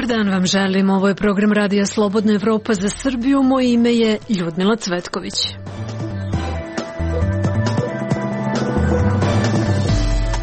Dobar dan vam želim. Ovo je program Radija Slobodna Evropa za Srbiju. Moje ime je Ljudmila Cvetković.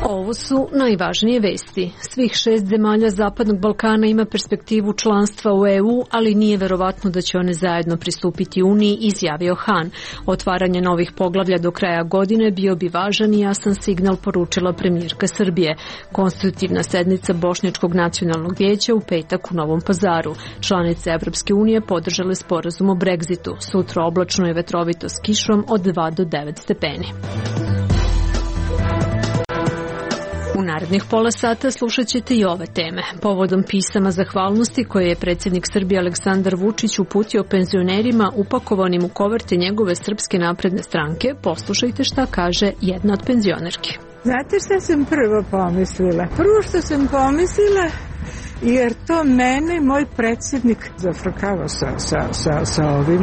Ovo su najvažnije vesti. Svih 6 zemalja Zapadnog Balkana ima perspektivu članstva u EU, ali nije verovatno da će one zajedno pristupiti Uniji, izjavio Han. Otvaranje novih poglavlja do kraja godine bio bi važan i jasan signal, poručila premijerka Srbije. Konstitutivna sednica Bošnjačkog nacionalnog vijeća u petak u Novom Pazaru. Članice Evropske unije podržale sporazum o Brexitu. Sutra oblačno i vetrovito s kišom od 2 do 9 stepeni. U narednih pola sata slušat ćete i ove teme. Povodom pisama zahvalnosti koje je predsjednik Srbije Aleksandar Vučić uputio penzionerima upakovanim u koverte njegove Srpske napredne stranke, poslušajte šta kaže jedna od penzionerki. Znate šta sam prvo pomislila? Prvo što sam pomislila, jer to mene moj predsjednik zafrkava sa ovim.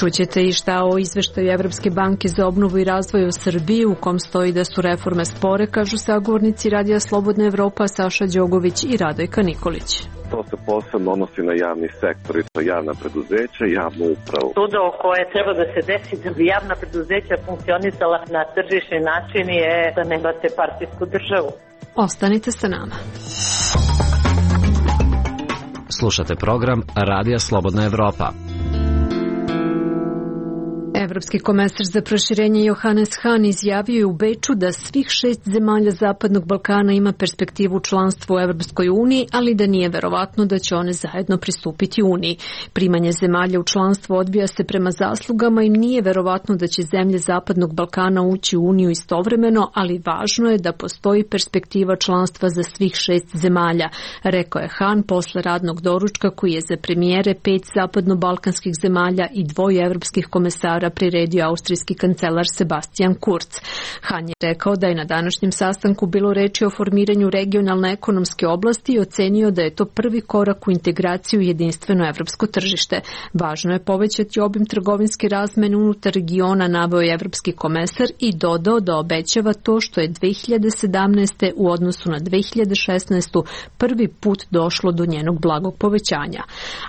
Čućete i šta o izveštaju Evropske banke za obnovu i razvoj u Srbiji, u kom stoji da su reforme spore, kažu sagovornici Radija Slobodna Evropa Saša Đogović i Radojka Nikolić. To se posebno odnosi na javni sektor i to javna preduzeća i javnu upravu. Čudo koje treba da se desi da bi javna preduzeća funkcionisala na tržišni način je da nemate partijsku državu. Ostanite sa nama. Slušate program Radija Slobodna Evropa. Evropski komesar za proširenje Johannes Hahn izjavio je u Beču da svih 6 zemalja Zapadnog Balkana ima perspektivu članstva u Evropskoj uniji, ali da nije verovatno da će one zajedno pristupiti Uniji. Primanje zemalja u članstvo odvija se prema zaslugama i nije verovatno da će zemlje Zapadnog Balkana ući u Uniju istovremeno, ali važno je da postoji perspektiva članstva za svih 6 zemalja, rekao je Hahn posle radnog doručka koji je za premijere 5 zapadno-balkanskih zemalja i 2 evropskih komesara priredio austrijski kancelar Sebastian Kurz. Han je rekao da je na današnjem sastanku bilo reči o formiranju regionalne ekonomske oblasti i ocenio da je to prvi korak u integraciju u jedinstveno evropsko tržište. Važno je povećati obim trgovinske razmene unutar regiona, naveo je evropski komesar i dodao da obećava to što je 2017. u odnosu na 2016. prvi put došlo do njenog blagog povećanja.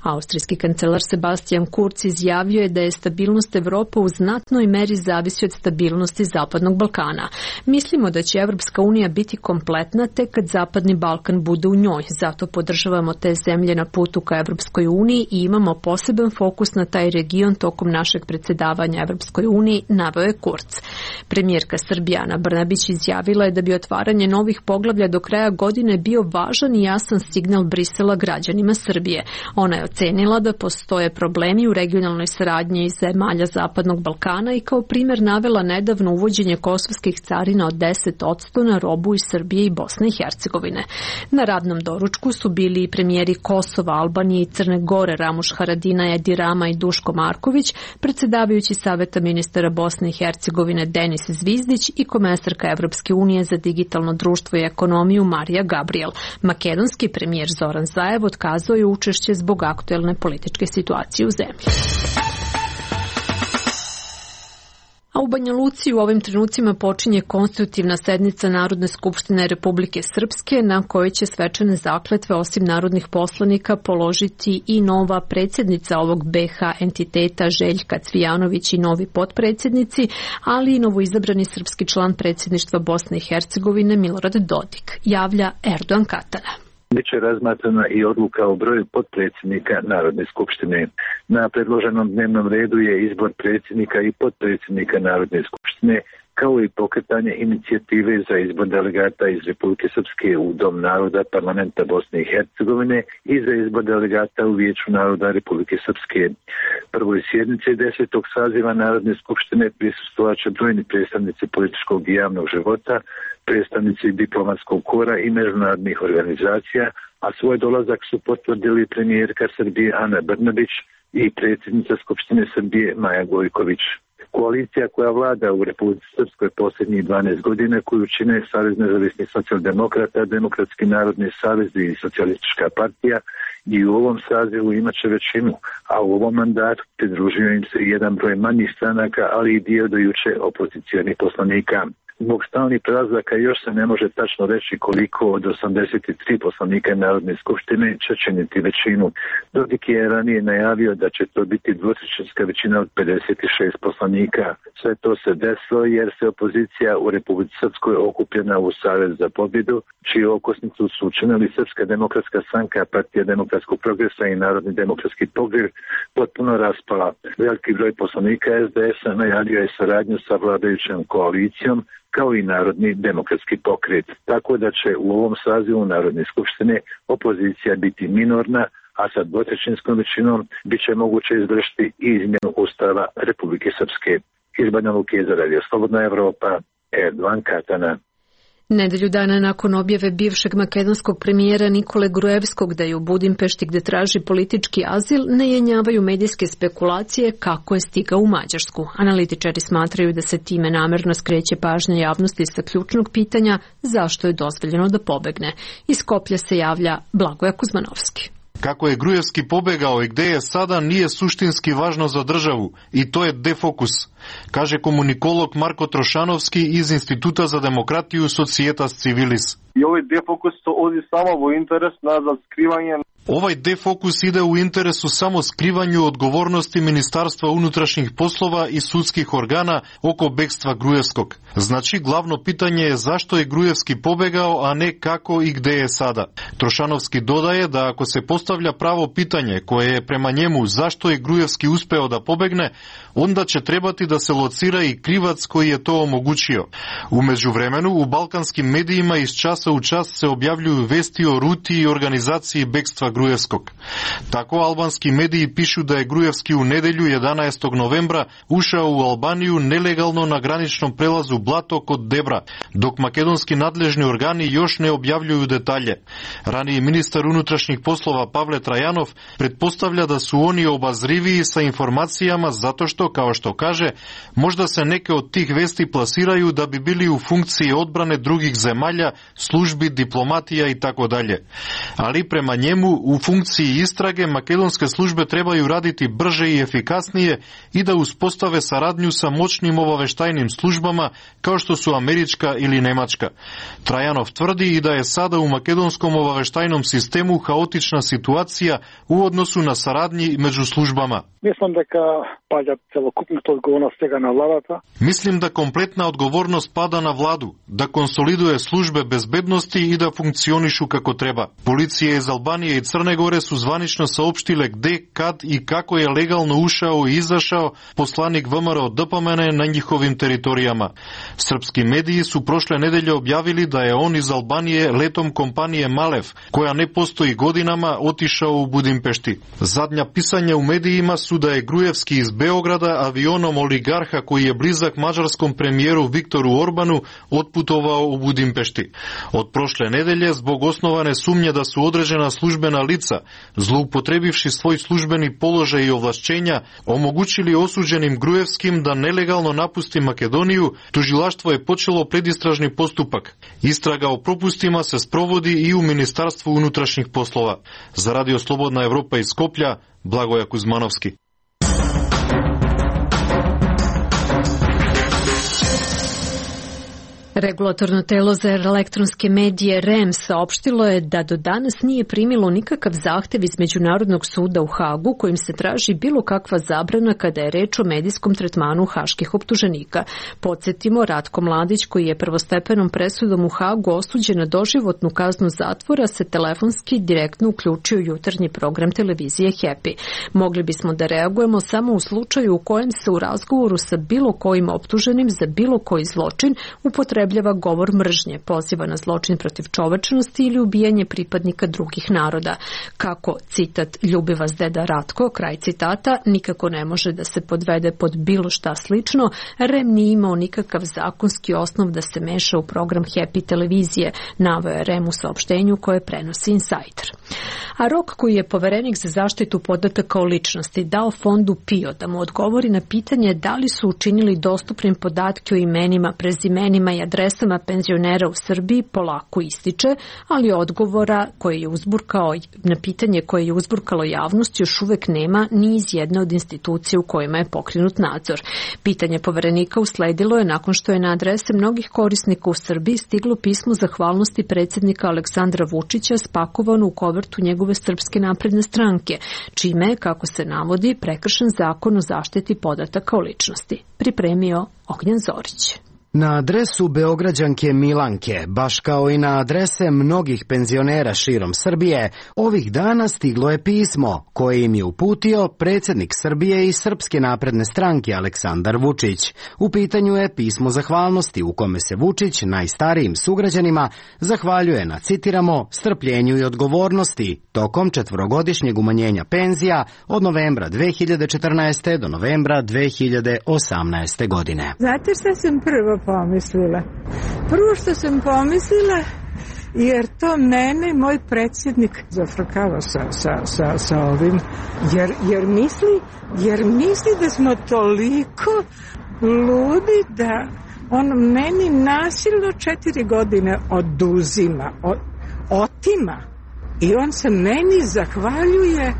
Austrijski kancelar Sebastian Kurz izjavio je da je stabilnost Evrope u znatnoj meri zavisi od stabilnosti Zapadnog Balkana. Mislimo da će Evropska unija biti kompletna tek kad Zapadni Balkan bude u njoj. Zato podržavamo te zemlje na putu ka Evropskoj uniji i imamo poseban fokus na taj region tokom našeg predsjedavanja Evropskoj uniji, naveo je Kurz. Premijerka Srbije Ana Brnabić izjavila je da bi otvaranje novih poglavlja do kraja godine bio važan i jasan signal Brisela građanima Srbije. Ona je ocenila da postoje problemi u regionalnoj saradnji iz zemalja Zapadnog Balkana i kao primjer navela nedavno uvođenje kosovskih carina od 10% na robu iz Srbije i Bosne i Hercegovine. Na radnom doručku su bili i premijeri Kosova, Albanije i Crne Gore Ramuš Haradinaj, Edi Rama i Duško Marković, predsjedavajući Saveta ministara Bosne i Hercegovine Denis Zvizdić i komesarka Evropske unije za digitalno društvo i ekonomiju Marija Gabriel. Makedonski premijer Zoran Zaev otkazao je učešće zbog aktuelne političke situacije u zemlji. A u Banja Luci u ovim trenucima počinje konstitutivna sednica Narodne skupštine Republike Srpske, na kojoj će svečane zakletve osim narodnih poslanika položiti i nova predsjednica ovog BH entiteta Željka Cvijanović i novi potpredsjednici, ali i novoizabrani srpski član predsjedništva Bosne i Hercegovine Milorad Dodik, javlja Erdogan Katana. Biće razmatrana i odluka o broju potpredsjednika Narodne skupštine. Na predloženom dnevnom redu je izbor predsjednika i potpredsjednika Narodne skupštine, kao i pokretanje inicijative za izbor delegata iz Republike Srpske u Dom naroda Parlamenta Bosne i Hercegovine i za izbor delegata u Vijeću naroda Republike Srpske. Prvoj sjednici 10. saziva Narodne skupštine prisustvovaće brojni predstavnici političkog i javnog života, predstavnici diplomatskog kora i međunarodnih organizacija, a svoj dolazak su potvrdili premijerka Srbije Ana Brnabić i predsjednica Skupštine Srbije Maja Gojković. Koalicija koja vlada u Republici Srpskoj posljednjih 12 godina, koju čine Savez nezavisnih socijaldemokrata, Demokratski narodni savez i Socijalistička partija, i u ovom sazivu imaće većinu, a u ovom mandatu pridružio im se jedan broj manjih stranaka, ali i dio do juče opozicionih poslanika. Zbog stalnih prelazaka još se ne može tačno reći koliko od 83 poslanika Narodne skupštine će činiti većinu. Dodik je ranije najavio da će to biti dvotrećinska većina od 56 poslanika. Sve to se desilo jer se opozicija u Republici Srpskoj okupljena u Savez za pobjedu, čiju okosnicu su učinili Srpska demokratska stranka, Partija demokratskog progresa i Narodni demokratski pokret, potpuno raspala. Veliki broj poslanika SDS-a najavio je saradnju sa vladajućom koalicijom kao i Narodni demokratski pokret. Tako da će u ovom sazivu Narodne skupštine opozicija biti minorna, a sa dvotrećinskom većinom bit će moguće izvršiti i izmjenu Ustava Republike Srpske. Iz Banja Luke za Radio Slobodna Evropa, Erdovan Katana. Nedelju dana nakon objave bivšeg makedonskog premijera Nikole Gruevskog da je u Budimpešti gde traži politički azil, ne jenjavaju medijske spekulacije kako je stigao u Mađarsku. Analitičari smatraju da se time namerno skreće pažnja javnosti sa ključnog pitanja zašto je dozvoljeno da pobegne. Iz Skoplja se javlja Blagoja Kuzmanovski. Kako je Gruevski pobegao i gde je sada nije suštinski važno za državu i to je defokus, kaže komunikolog Marko Trošanovski iz Instituta za demokratiju Societas Civilis. I ovaj defokus to odi samo u interes za skrivanje. Ovaj defokus ide u interesu samo skrivanju odgovornosti Ministarstva unutrašnjih poslova i sudskih organa oko bekstva Gruevskog. Znači, glavno pitanje je zašto je Gruevski pobegao, a ne kako i gde je sada. Trošanovski dodaje da ako se postavlja pravo pitanje koje je prema njemu zašto je Gruevski uspeo da pobegne, onda će trebati da se locira i krivac koji je to omogućio. U međuvremenu, u balkanskim medijima iz časa u čas se objavljuju vesti o ruti i organizaciji bekstva Gruevskog. Tako albanski mediji pišu da je Gruevski u nedelju 11. novembra ušao u Albaniju nelegalno na graničnom prelazu Blato kod Debra, dok makedonski nadležni organi još ne objavljuju detalje. Raniji ministar unutrašnjih poslova Pavle Trajanov pretpostavlja da su oni obazriviji sa informacijama zato što, kao što kaže, možda se neke od tih vesti plasiraju da bi bili u funkciji odbrane drugih zemalja, službi, diplomatija i tako dalje. Ali prema njemu u funkciji istrage makedonske službe trebaju raditi brže i efikasnije i da uspostave saradnju sa moćnim obaveštajnim službama kao što su američka ili nemačka. Trajanov tvrdi i da je sada u makedonskom obaveštajnom sistemu haotična situacija u odnosu na saradnji među službama. Mislim da kompletna odgovornost pada na vladu, da konsoliduje službe bezbednosti i da funkcionišu kako treba. Policija iz Albanije i Crne Gore su zvanično saopštile gde, kad i kako je legalno ušao i izašao poslanik VMRO DPMNE na njihovim teritorijama. Srpski mediji su prošle nedelje objavili da je on iz Albanije letom kompanije Malev, koja ne postoji godinama, otišao u Budimpešti. Zadnja pisanja u medijima su da je Gruevski iz Beograda avionom oligarha koji je blizak mađarskom premijeru Viktoru Orbanu otputovao u Budimpešti. Od prošle nedelje, zbog osnovane sumnje da su određena službena lica, zloupotrebivši svoj službeni položaj i ovlašćenja, omogućili osuđenim Gruevskim da nelegalno napusti Makedoniju, tužilaštvo je počelo predistražni postupak. Istraga o propustima se sprovodi i u Ministarstvu unutrašnjih poslova. Za Radio Slobodna Evropa iz Skoplja, Blagoja Kuzmanovski. Regulatorno telo za elektronske medije REM saopštilo je da do danas nije primilo nikakav zahtev iz Međunarodnog suda u Hagu kojim se traži bilo kakva zabrana kada je reč o medijskom tretmanu haških optuženika. Podsjetimo, Ratko Mladić, koji je prvostepenom presudom u Hagu osuđen na doživotnu kaznu zatvora, se telefonski direktno uključio u jutarnji program televizije Happy. Mogli bismo da reagujemo samo u slučaju u kojem se u razgovoru sa bilo kojim optuženim za bilo koji zločin upotrebljava govor mržnje, poziva na zločin protiv čovečnosti ili ubijanje pripadnika drugih naroda. Kako, citat, ljubi vas deda Ratko, kraj citata, nikako ne može da se podvede pod bilo šta slično, REM nije imao nikakav zakonski osnov da se meša u program Happy televizije, naveo je REM u saopštenju koje prenosi Insider. A rok koji je poverenik za zaštitu podataka o ličnosti dao fondu PIO da mu odgovori na pitanje da li su učinili dostupnim podatke o imenima, prezimenima i adresama adresama penzionera u Srbiji polako ističe, ali odgovora na pitanje koje je uzburkalo javnost još uvek nema ni iz jedne od institucija u kojima je pokrenut nadzor. Pitanje Poverenika usledilo je nakon što je na adrese mnogih korisnika u Srbiji stiglo pismo zahvalnosti predsjednika Aleksandra Vučića spakovano u kovertu njegove Srpske napredne stranke, čime je, kako se navodi, prekršen zakon o zaštiti podataka o ličnosti. Pripremio Ognjen Zorić. Na adresu Beograđanke Milanke, baš kao i na adrese mnogih penzionera širom Srbije, ovih dana stiglo je pismo koje im je uputio predsjednik Srbije i Srpske napredne stranke Aleksandar Vučić. U pitanju je pismo zahvalnosti u kome se Vučić najstarijim sugrađanima zahvaljuje na, citiramo, strpljenju i odgovornosti tokom 4-godišnjeg umanjenja penzija od novembra 2014. do novembra 2018. godine. Znate šta sam prvo pomislila? Prvo što sam pomislila, jer to mene moj predsjednik zafrkava sa ovim, jer misli da smo toliko ludi da on meni nasilno 4 godine oduzima, otima, i on se meni zahvaljuje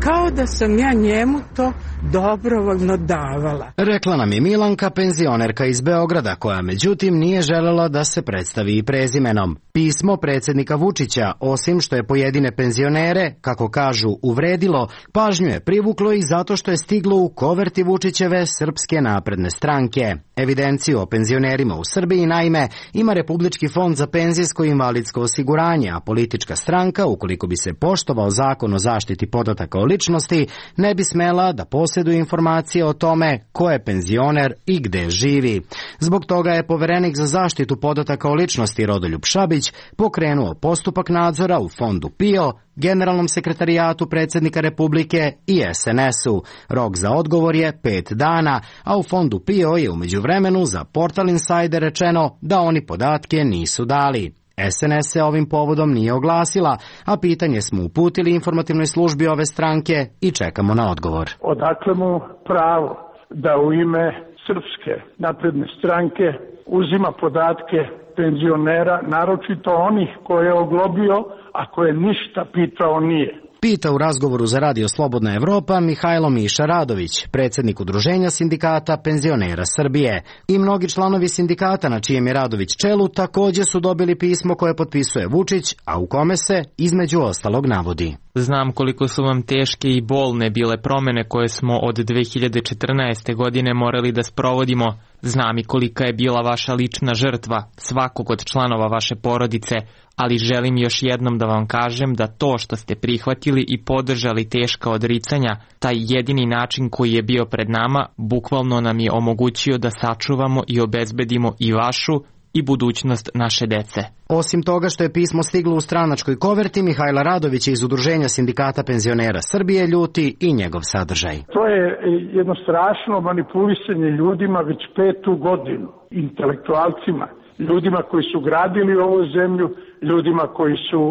kao da sam ja njemu to dobrovoljno davala. Rekla nam je Milanka, penzionerka iz Beograda, koja međutim nije želela da se predstavi i prezimenom. Pismo predsjednika Vučića, osim što je pojedine penzionere, kako kažu, uvredilo, pažnju je privuklo i zato što je stiglo u koverti Vučićeve Srpske napredne stranke. Evidenciju o penzionerima u Srbiji, naime, ima Republički fond za penzijsko i invalidsko osiguranje, a politička stranka, ukoliko bi se poštovao zakon o zaštiti podataka o ličnosti, ne bi smela da posjeduje informacije o tome ko je penzioner i gde živi. Zbog toga je Poverenik za zaštitu podataka o ličnosti Rodoljub Šabić pokrenuo postupak nadzora u fondu PIO, Generalnom sekretarijatu predsjednika Republike i SNS-u. Rok za odgovor je 5 dana, a u fondu PIO je u međuvremenu za Portal Insider rečeno da oni podatke nisu dali. SNS se ovim povodom nije oglasila, a pitanje smo uputili informativnoj službi ove stranke i čekamo na odgovor. Odakle mu pravo da u ime Srpske napredne stranke uzima podatke penzionera, naročito onih koje je oglobio, a koje ništa pitao nije? Pita u razgovoru za Radio Slobodna Evropa Mihajlo Miša Radović, predsjednik Udruženja sindikata penzionera Srbije. I mnogi članovi sindikata na čijem je Radović čelu također su dobili pismo koje potpisuje Vučić, a u kome se, između ostalog, navodi: Znam koliko su vam teške i bolne bile promjene koje smo od 2014. godine morali da sprovodimo. Znam i kolika je bila vaša lična žrtva, svakog od članova vaše porodice, ali želim još jednom da vam kažem da to što ste prihvatili i podržali teška odricanja, taj jedini način koji je bio pred nama, bukvalno nam je omogućio da sačuvamo i obezbedimo i vašu i budućnost naše dece. Osim toga što je pismo stiglo u stranačkoj koverti, Mihajla Radovića iz Udruženja sindikata penzionera Srbije ljuti i njegov sadržaj. To je jedno strašno manipulisanje ljudima već 5. godinu, intelektualcima, ljudima koji su gradili ovu zemlju, ljudima koji su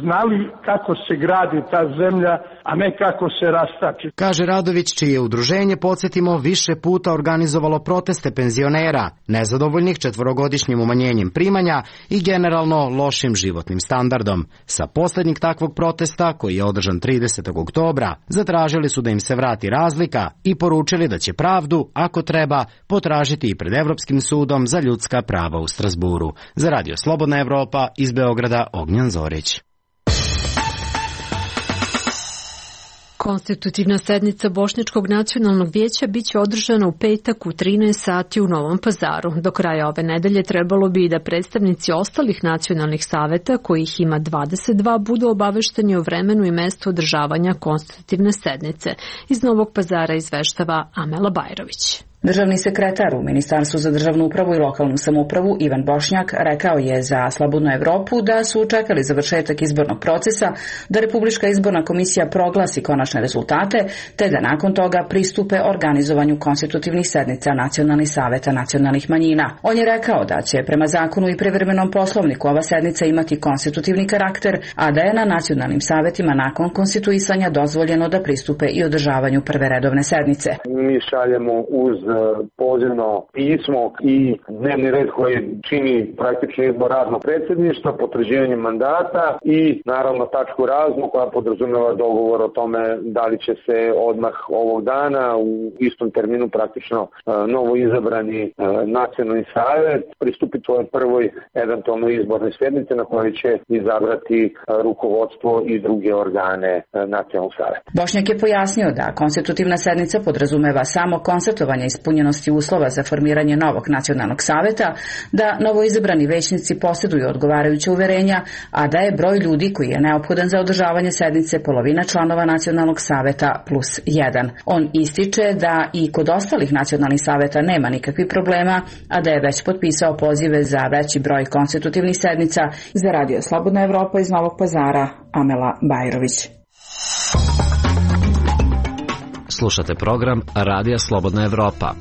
znali kako se gradi ta zemlja, a ne kako se rastači. Kaže Radović, čije udruženje, podsjetimo, više puta organizovalo proteste penzionera, nezadovoljnih 4-godišnjim umanjenjem primanja i generalno lošim životnim standardom. Sa posljednjeg takvog protesta, koji je održan 30. oktobra, zatražili su da im se vrati razlika i poručili da će pravdu, ako treba, potražiti i pred Evropskim sudom za ljudska prava u Strasburu. Za Radio Slobodna Evropa iz Beograda, Ognjen Zorić. Konstitutivna sednica Bošnjačkog nacionalnog vijeća biće održana u petak u 13 sati u Novom Pazaru. Do kraja ove nedelje trebalo bi da predstavnici ostalih nacionalnih saveta, kojih ima 22, budu obavešteni o vremenu i mestu održavanja konstitutivne sednice. Iz Novog Pazara izveštava Amela Bajrović. Državni sekretar u Ministarstvu za državnu upravu i lokalnu samoupravu Ivan Bošnjak rekao je za Slobodnu Evropu da su čekali završetak izbornog procesa, da Republička izborna komisija proglasi konačne rezultate, te da nakon toga pristupe organizovanju konstitutivnih sednica nacionalnih saveta nacionalnih manjina. On je rekao da će prema zakonu i privremenom poslovniku ova sednica imati konstitutivni karakter, a da je na nacionalnim savetima nakon konstituisanja dozvoljeno da pristupe i održavanju prve redovne sednice. Mi šaljemo uz pozivno pismo i dnevni red koji čini praktično izbor radnog predsjedništva, potvrđivanje mandata i naravno tačku raznu koja podrazumeva dogovor o tome da li će se odmah ovog dana u istom terminu praktično novo izabrani nacionalni savjet pristupiti svojoj prvoj eventualno izbornoj sjednici na kojoj će izabrati rukovodstvo i druge organe nacionalnog savjeta. Bošnjak je pojasnio da konstitutivna sednica podrazumeva samo konstatovanje ispunjenosti uslova za formiranje novog nacionalnog savjeta, da novoizabrani većnici posjeduju odgovarajuća uverenja, a da je broj ljudi koji je neophodan za održavanje sednice polovina članova nacionalnog savjeta plus 1. On ističe da i kod ostalih nacionalnih savjeta nema nikakvih problema, a da je već potpisao pozive za veći broj konstitutivnih sednica. Za Radio Slobodna Evropa iz Novog Pazara, Amela Bajrović. Slušate program Radija Slobodna Evropa.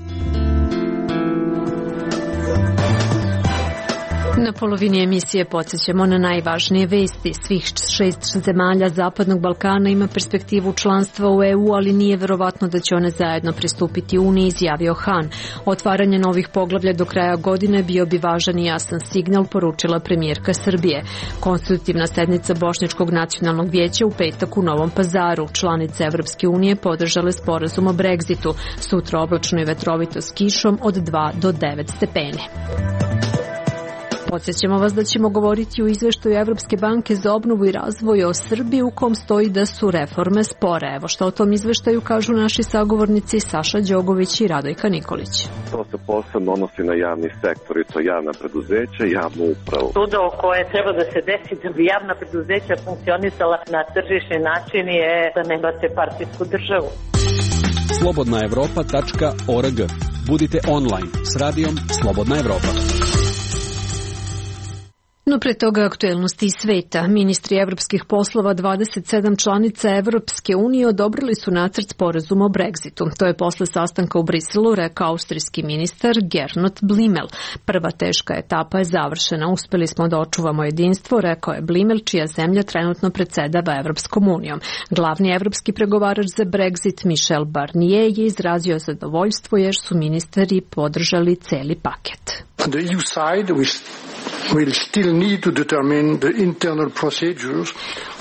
Na polovini emisije podsjećamo na najvažnije vesti. Svih 6 zemalja Zapadnog Balkana ima perspektivu članstva u EU, ali nije verovatno da će one zajedno pristupiti Uniji, izjavio Han. Otvaranje novih poglavlja do kraja godine bio bi važan i jasan signal, poručila premijerka Srbije. Konstitutivna sednica Bošnjačkog nacionalnog vijeća u petak u Novom Pazaru. Članice Evropske unije podržale sporazum o Brexitu. Sutra oblačno i vetrovito s kišom od 2 do 9 stepeni. Podsjećamo vas da ćemo govoriti o izveštaju Evropske banke za obnovu i razvoj o Srbiji u kom stoji da su reforme spore. Evo što o tom izveštaju kažu naši sagovornici Saša Đogović i Radojka Nikolić. To se posebno odnosi na javni sektor i to javna preduzeća i javnu upravu. Čudo koje treba da se desi da bi javna preduzeća funkcionisala na tržišni način je da nemate partijsku državu. slobodnaevropa.org. Budite online s radijom Slobodna Evropa. No pre toga aktuelnosti iz sveta. Ministri evropskih poslova 27 članica Evropske unije odobrili su nacrt sporazuma o Brexitu. To je posle sastanka u Briselu rekao austrijski ministar Gernot Blümel. Prva teška etapa je završena. Uspeli smo da očuvamo jedinstvo, rekao je Blümel, čija zemlja trenutno predsedava Evropskom unijom. Glavni evropski pregovarač za Brexit Michel Barnier je izrazio zadovoljstvo jer su ministri podržali celi paket. On the EU side, we'll still need to determine the internal procedures.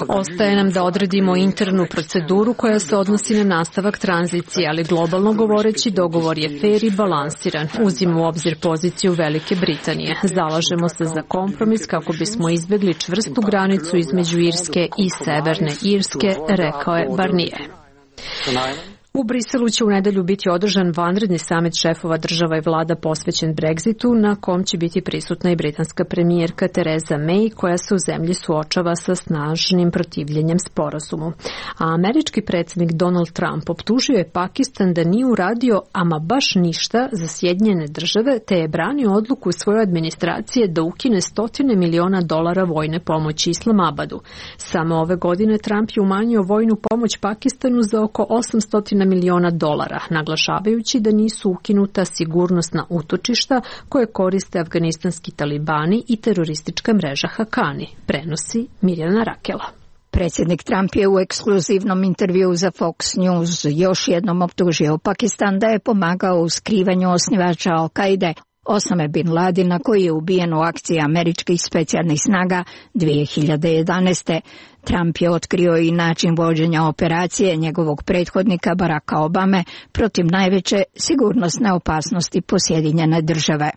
Ostaje nam da odredimo internu proceduru koja se odnosi na nastavak tranzicije, ali globalno govoreći dogovor je fer i balansiran. Uzimo u obzir poziciju Velike Britanije. Zalažemo se za kompromis kako bismo izbjegli čvrstu granicu između Irske i Severne Irske, rekao je Barnier. U Briselu će u nedelju biti održan vanredni samit šefova država i vlada posvećen Brexitu, na kom će biti prisutna i britanska premijerka Theresa May, koja se u zemlji suočava sa snažnim protivljenjem sporazumu. A američki predsjednik Donald Trump optužio je Pakistan da nije uradio ama baš ništa za Sjedinjene države, te je branio odluku svoje administracije da ukine $100 miliona vojne pomoći Islamabadu. Samo ove godine Trump je umanjio vojnu pomoć Pakistanu za oko $800 miliona, naglašavajući da nisu ukinuta sigurnosna utočišta koje koriste afganistanski talibani i teroristička mreža Hakani, prenosi Mirjana Rakela. Predsjednik Trump je u ekskluzivnom intervjuu za Fox News još jednom optužio Pakistan da je pomagao u skrivanju osnivača Al-Kaide, Osame Bin Ladina, koji je ubijen u akciji američkih specijalnih snaga 2011. Trump je otkrio i način vođenja operacije njegovog prethodnika Baracka Obame protiv najveće sigurnosne opasnosti po Sjedinjene države.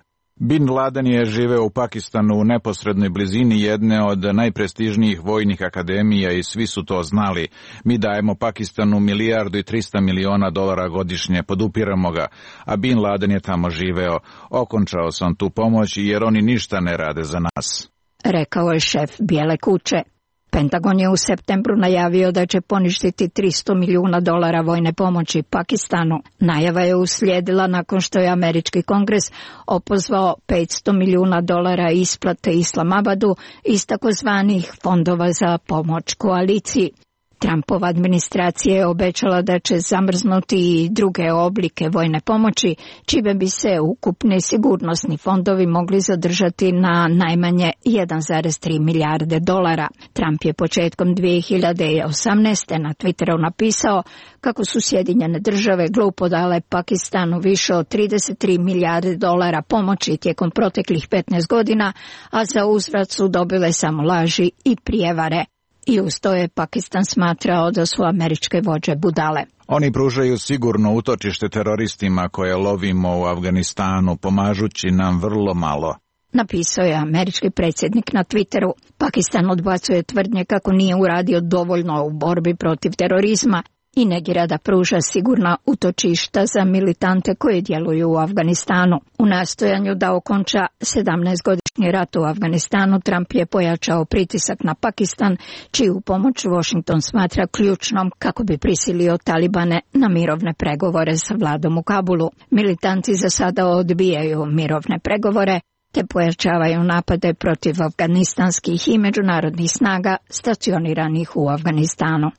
Bin Laden je živeo u Pakistanu u neposrednoj blizini jedne od najprestižnijih vojnih akademija i svi su to znali. Mi dajemo Pakistanu $1,3 milijardi godišnje, podupiramo ga, a Bin Laden je tamo živeo. Okončao sam tu pomoć jer oni ništa ne rade za nas, rekao je šef Bijele kuće. Pentagon je u septembru najavio da će poništiti $300 miliona vojne pomoći Pakistanu. Najava je uslijedila nakon što je američki kongres opozvao $500 miliona isplate Islamabadu iz takozvanih fondova za pomoć koaliciji. Trumpova administracija je obećala da će zamrznuti i druge oblike vojne pomoći, čime bi se ukupni sigurnosni fondovi mogli zadržati na najmanje 1,3 milijarde dolara. Trump je početkom 2018. na Twitteru napisao kako su Sjedinjene države glupo dale Pakistanu više od 33 milijarde dolara pomoći tijekom proteklih 15 godina, a za uzvrat su dobile samo laži i prijevare. I uz to je Pakistan smatrao da su američke vođe budale. Oni pružaju sigurno utočište teroristima koje lovimo u Afganistanu, pomažući nam vrlo malo. Napisao je američki predsjednik na Twitteru. Pakistan odbacuje tvrdnje kako nije uradio dovoljno u borbi protiv terorizma i negira da pruža sigurna utočišta za militante koji djeluju u Afganistanu. U nastojanju da okonča 17-godišnji rat u Afganistanu, Trump je pojačao pritisak na Pakistan, čiju pomoć Washington smatra ključnom kako bi prisilio Talibane na mirovne pregovore sa vladom u Kabulu. Militanti za sada odbijaju mirovne pregovore te pojačavaju napade protiv afganistanskih i međunarodnih snaga stacioniranih u Afganistanu.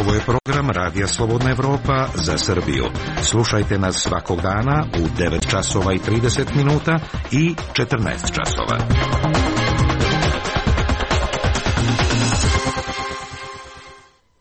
Ovo je program Radija Slobodna Evropa za Srbiju. Slušajte nas svakog dana u 9 časova i 30 minuta i 14 časova.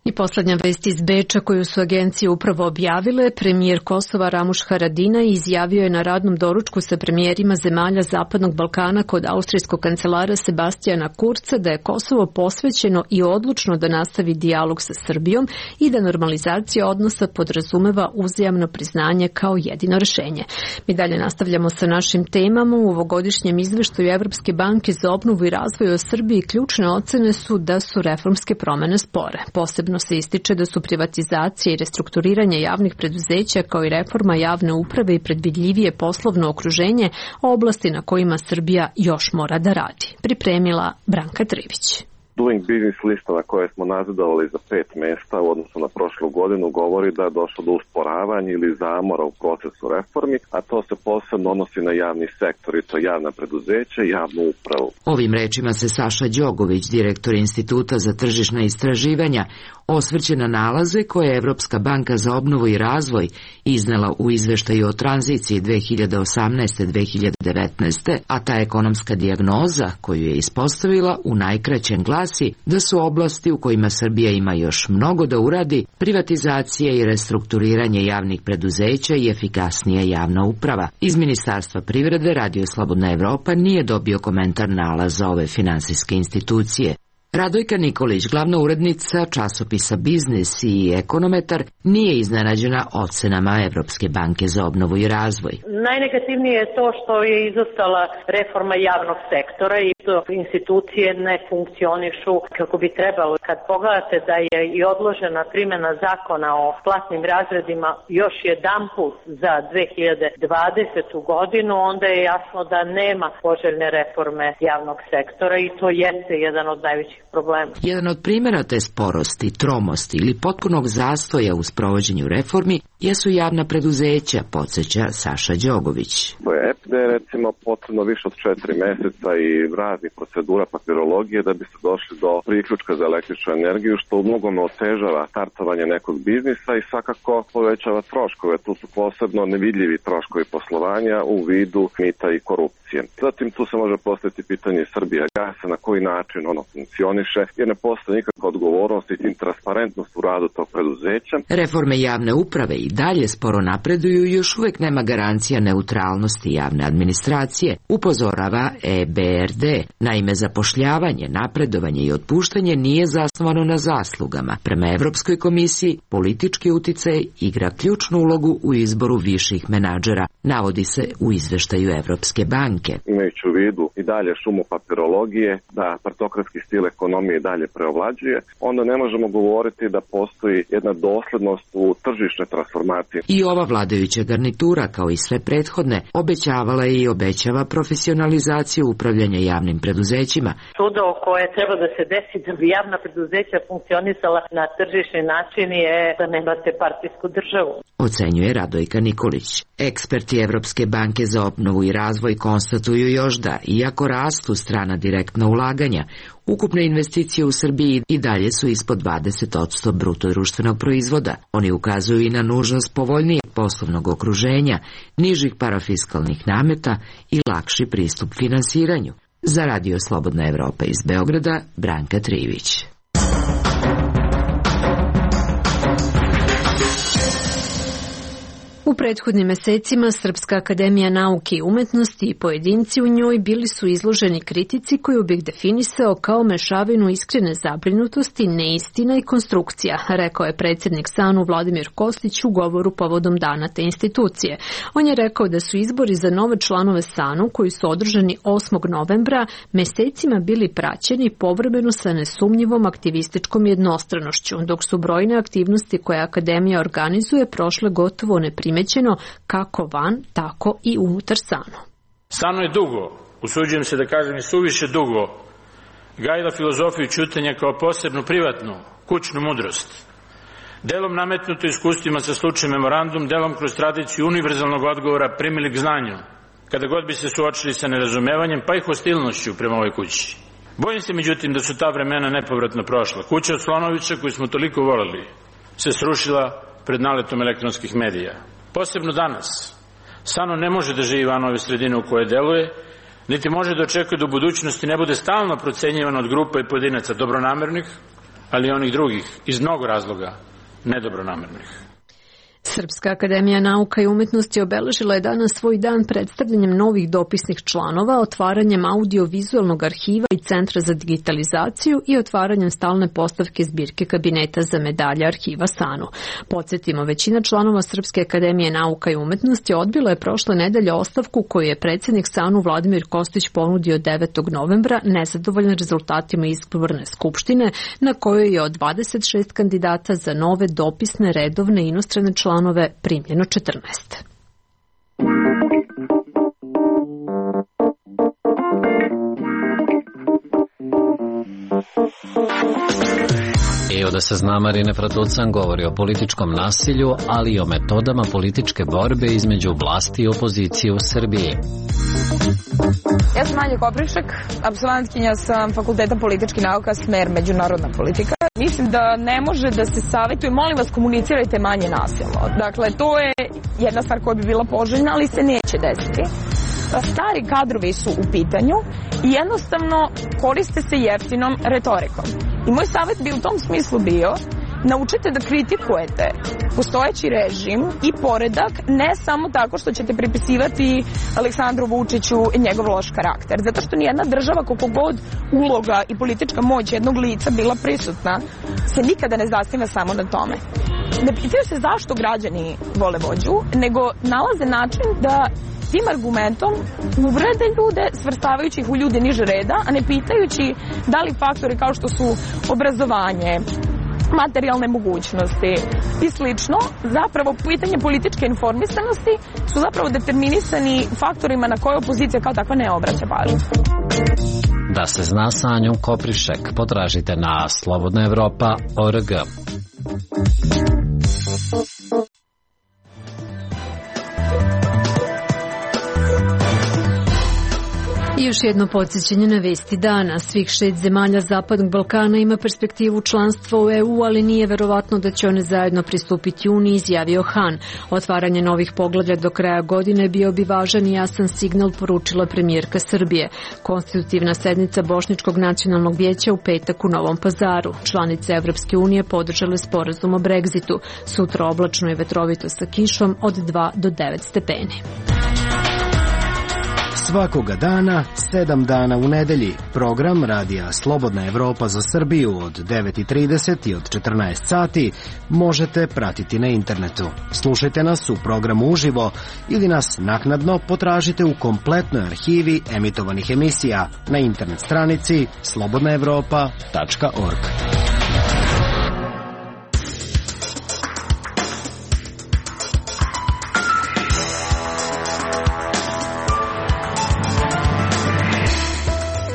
I posljednja vest iz Beča koju su agencije upravo objavile, premijer Kosova Ramuš Haradinaj izjavio je na radnom doručku sa premijerima zemalja Zapadnog Balkana kod austrijskog kancelara Sebastijana Kurca da je Kosovo posvećeno i odlučno da nastavi dijalog sa Srbijom i da normalizacija odnosa podrazumeva uzajamno priznanje kao jedino rješenje. Mi dalje nastavljamo sa našim temama. U ovogodišnjem izveštaju Evropske banke za obnovu i razvoj o Srbiji ključne ocene su da su reformske promjene spore. Posebno se ističe da su privatizacija i restrukturiranje javnih preduzeća kao i reforma javne uprave i predvidljivije poslovno okruženje oblasti na kojima Srbija još mora da radi. Pripremila Branka Trivić. Doing Business lista na koje smo nazadovali za 5 mjesta u odnosu na prošlu godinu govori da je došlo do usporavanja ili zamora u procesu reformi, a to se posebno odnosi na javni sektor i to javna preduzeća i javnu upravu. Ovim rečima se Saša Đogović, direktor Instituta za tržišna istraživanja, osvrće na nalaze koje je Evropska banka za obnovu i razvoj iznela u izveštaju o tranziciji 2018-2019, a ta ekonomska dijagnoza koju je ispostavila u najkraćem glasi da su oblasti u kojima Srbija ima još mnogo da uradi privatizacija i restrukturiranje javnih preduzeća i efikasnija javna uprava. Iz Ministarstva privrede Radio Slobodna Evropa nije dobio komentar nalaza ove finansijske institucije. Radojka Nikolić, glavna urednica časopisa Biznis i ekonometar, nije iznenađena ocenama Evropske banke za obnovu i razvoj. Najnegativnije je to što je izostala reforma javnog sektora i to institucije ne funkcionišu kako bi trebalo. Kad pogledate da je i odložena primjena zakona o platnim razredima još jedanput za 2020. godinu, onda je jasno da nema poželjne reforme javnog sektora i to jeste jedan od najvećih problema. Jedan od primjera te sporosti, tromosti ili potpunog zastoja u sprovođenju reformi jesu javna preduzeća, podsjeća Saša Đogović. EPD je recimo potrebno više od 4 mjeseca i raznih procedura papirologije da bi se došli do priključka za električnu energiju, što u mnogome otežava startovanje nekog biznisa i svakako povećava troškove. Tu su posebno nevidljivi troškovi poslovanja u vidu mita i korupcije. Zatim tu se može postaviti pitanje Srbija gasa, na koji način ono funkcioniše, jer ne postoji nikakva odgovornost i transparentnost u radu tog preduzeća. Reforme javne uprave i dalje sporo napreduju i još uvijek nema garancija neutralnosti javne administracije, upozorava EBRD. Naime, zapošljavanje, napredovanje i otpuštanje nije zasnovano na zaslugama. Prema Evropskoj komisiji, politički uticaj igra ključnu ulogu u izboru viših menadžera, navodi se u izveštaju Evropske banke. Imajući u vidu i dalje šumu papirologije, da partokratski stil ekonomije dalje preovlađuje, onda ne možemo govoriti da postoji jedna doslednost u tržišnoj transformaciji. I ova vladajuća garnitura, kao i sve prethodne, obećavala i obećava profesionalizaciju upravljanja javnim preduzećima. Čudo koje treba da se desi da bi javna preduzeća funkcionisala na tržišni način je da nemate partijsku državu, ocenjuje Radojka Nikolić. Eksperti Evropske banke za obnovu i razvoj konstatuju još da, iako rastu strana direktna ulaganja, Ukupne investicije u Srbiji i dalje su ispod 20% bruto društvenog proizvoda. Oni ukazuju i na nužnost povoljnijeg poslovnog okruženja, nižih parafiskalnih nameta i lakši pristup finansiranju. Za Radio Slobodna Evropa iz Beograda, Branka Trivić. U prethodnim mesecima Srpska akademija nauke i umetnosti i pojedinci u njoj bili su izloženi kritici koju bih definisao kao mešavinu iskrene zabrinutosti, neistina i konstrukcija, rekao je predsjednik SANU Vladimir Kostić u govoru povodom dana te institucije. On je rekao da su izbori za nove članove SANU, koji su održani 8. novembra, mesecima bili praćeni povremeno sa nesumnjivom aktivističkom jednostranošću, dok su brojne aktivnosti koje akademija organizuje prošle gotovo neprimećeno kako van, tako i unutar SANU. SANU je dugo, usuđujem se da kažem i suviše dugo, gajila filozofiju ćutanja kao posebnu privatnu, kućnu mudrost. Delom nametnuto iskustvima sa slučajem memorandum, delom kroz tradiciju univerzalnog odgovora primili k znanju, kada god bi se suočili sa nerazumevanjem, pa i hostilnošću prema ovoj kući. Bojim se međutim da su ta vremena nepovratno prošla. Kuća od Slonovića, koju smo toliko voleli, se srušila pred naletom elektronskih medija. Posebno danas, SANU ne može da živi van ove sredine u kojoj deluje, niti može da očekuje da u budućnosti ne bude stalno procenjivan od grupa i pojedinaca dobronamernih, ali i onih drugih, iz mnogo razloga, nedobronamernih. Srpska akademija nauka i umetnosti obeležila je danas svoj dan predstavljanjem novih dopisnih članova, otvaranjem audio-vizualnog arhiva i centra za digitalizaciju i otvaranjem stalne postavke zbirke kabineta za medalje arhiva SANU. Podsjetimo, većina članova Srpske akademije nauka i umetnosti odbila je prošle nedelje ostavku koju je predsjednik SANU Vladimir Kostić ponudio 9. novembra nezadovoljan rezultatima izborne skupštine na kojoj je od 26 kandidata za nove dopisne redovne inostrane članove primljeno 14. I da se zna, Marine Fratucan govori o političkom nasilju, ali i o metodama političke borbe između vlasti i opozicije u Srbiji. Ja sam Anja Koprišek, apsolventkinja sam Fakulteta političkih nauka, smer međunarodna politika. Mislim da ne može da se savjetuje, molim vas, komunicirajte manje nasilno. Dakle, to je jedna stvar koja bi bila poželjna, ali se neće desiti. Stari kadrovi su u pitanju i jednostavno koriste se jeftinom retorikom. I moj savjet bi u tom smislu bio: naučite da kritikujete postojeći režim i poredak, ne samo tako što ćete pripisivati Aleksandru Vučiću i njegov loš karakter. Zato što nijedna država, koliko god uloga i politička moć jednog lica bila prisutna, se nikada ne zasniva samo na tome. Ne pitaju se zašto građani vole vođu, nego nalaze način da tim argumentom uvrede ljude, svrstavajući ih u ljude niže reda, a ne pitajući da li faktori kao što su obrazovanje, materijalne mogućnosti i slično, zapravo pitanje političke informisanosti su zapravo determinisani faktorima na koje opozicija kao takva ne obraća pažnju. Da se zna sa Anjom Koprišek, potražite na slobodnaevropa.org. I još jedno podsjećanje na vesti dana. Svih 6 zemalja Zapadnog Balkana ima perspektivu članstva u EU, ali nije verovatno da će one zajedno pristupiti Uniji, izjavio Han. Otvaranje novih poglavlja do kraja godine bio bi važan i jasan signal, poručila premijerka Srbije. Konstitutivna sednica Bošnjačkog nacionalnog vijeća u petak u Novom Pazaru. Članice Evropske unije podržale sporazum o Brexitu. Sutra oblačno i vetrovito sa kišom od 2 do 9 stepeni. Svakoga dana, 7 dana u nedelji, program Radija Slobodna Evropa za Srbiju od 9:30 i od 14 sati možete pratiti na internetu. Slušajte nas u programu uživo ili nas naknadno potražite u kompletnoj arhivi emitovanih emisija na internet stranici slobodnaevropa.org.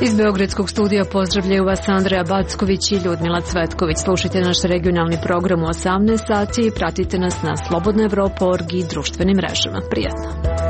Iz Beogradskog studija pozdravljaju vas Andreja Backović i Ljudmila Cvetković. Slušajte naš regionalni program u 18 sati i pratite nas na slobodnaevropa.org i društvenim mrežama. Prijatno.